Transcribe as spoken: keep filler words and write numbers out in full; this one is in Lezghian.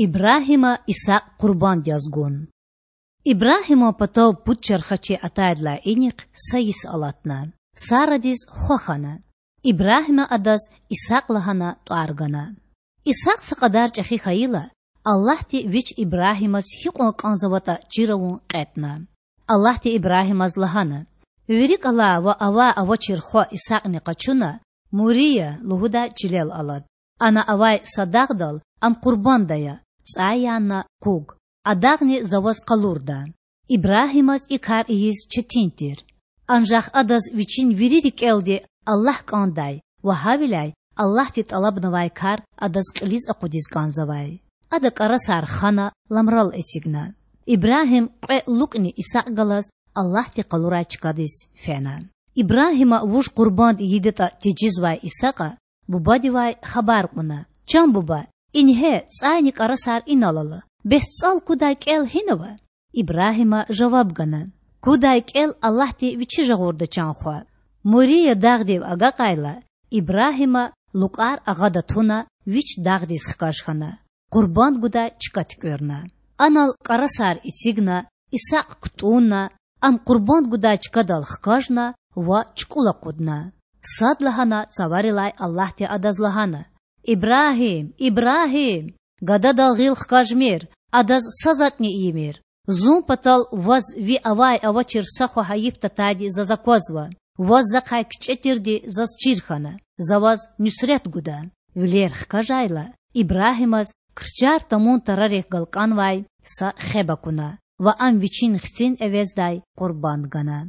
Ибрагьима Исакь къурбанд яз гун. Ибрагьиман патав пуд чархачи атайдалай инихъ са йис алатна. Сарадиз хва хьана. Ибрагьима адаз Исакь лагьана тІвар гана. Исакь са кьадар чІехи хьайила, Аллагьди Вич Ибрагьимаз гьикьван кІанзаватІа чир авун кьетІна. Аллагьди Ибрагьимаз лагьана: Вири кІалай ва авай-авачир хва Исакьни къачуна, Мурия лугьудай чилел алад. Ана авай са дагъдал ам къурбанд ая, цІай янна куг. А дагъни За ваз къалурда. Ибрагьимаз и кар ийиз четин тир. Анжах адаз вичин вири рикІелди Аллагь кІандай ва гьавиляй Аллагьди тІалабнавай кар адаз кьилиз акъудиз кІанзавай. Ада кІарасар хана, ламрал эцигна. Ибрагьим кьве лукІни Исакь галаз Аллагьди къалурай чкадиз фена. Ибрагьима вуж къурбанд ийидатІа тежезвай Исакьа бубадивай хабар кьуна: Чан буба, ингье цІайни кІарасар инал ала. Бес цІал кудай кІел гьинава? Ибрагьима жаваб гана: Кудай кІел Аллагьди Вичи жагъурда, чан хва. Мурия дагъдив агакьайла, Ибрагьима лукІар агъада туна, Вич дагъдиз хкаж хьана, къурбанд гудай чка туькІуьрна. Анал кІарасар эцигна, Исакь кутІунна, ам къурбанд гудай чкадал хкажна ва чукІул акъудна. Садлагьана цаварилай Аллагьди адаз лагьана: Ибрагьим! Ибрагьим! Гададал гъил хкажмир, адаз са затІни ийимир. Зун патал ваз ви авай-авачир са хва гьайиф татайди Заз аквазва. Ваз захъай кичІе тирди Заз чир хьана, За ваз нуьсрет гуда. Вилер хкажайла, Ибрагьимаз крчар тамун тарарихъ галкІанвай са хеб акуна ва ам вичин хцин эвездай къурбанд гана.